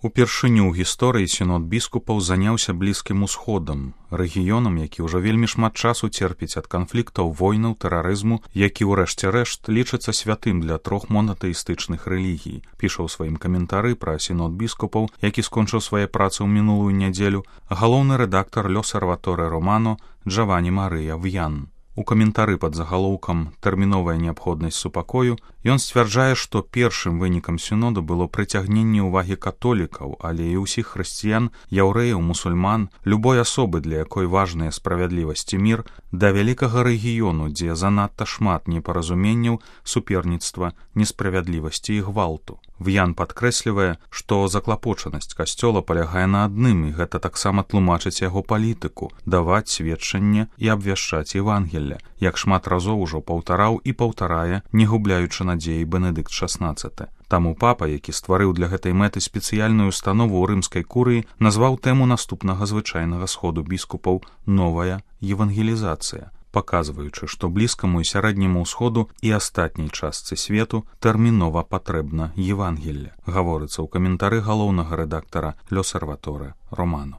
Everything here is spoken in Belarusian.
Упершыню ў гісторыі сінод біскупаў заняўся Блізкім Усходам, рэгіёнам, які ўжо вельмі шмат часу церпіць ад канфліктаў, войнаў, тэрарызму, які ў рэшце рэшт лічыцца святым для 3 монатэістычных рэлігій. Піша ў сваім каментары пра сінод біскупаў, які скончыў свае працы ў мінулую нядзелю, галоўны рэдактар L'Osservatore Romano Джавані Марыя В'ян. У каментары пад загалоўкам «Тэрміновая неабходнасць супакою» ён сцвярджае, што першым вынікам сіноду было прыцягненне ўвагі католікаў, але і ўсіх хрысціян, яўрэяў, мусульман, любой асобы, для якой важная справядлівасць і мір, да вялікага рэгіёну, дзе занадта шмат непаразуменняў, суперніцтва, несправядлівасці і гвалту. В'ян падкрэслівае, што заклапочанасць касцёла палягае на адным, і гэта таксама тлумачыць яго палітыку – даваць сведчанне і абвяшчаць Евангелле, як шмат разоў ужо паўтараў і паўтарае, не губляючы надзеі Бенедыкт XVI. Таму папа, які стварыў для гэтай мэты спецыяльную установу ў рымскай курыі, назваў тэму наступнага звычайнага сходу біскупаў «Новая евангелізацыя», паказваючы, што Блізкаму і Сярэдняму ўсходу і астатняй частцы свету тэрмінова патрэбна Евангелле, гаворыцца ў каментары галоўнага рэдактара L'Osservatore Romano.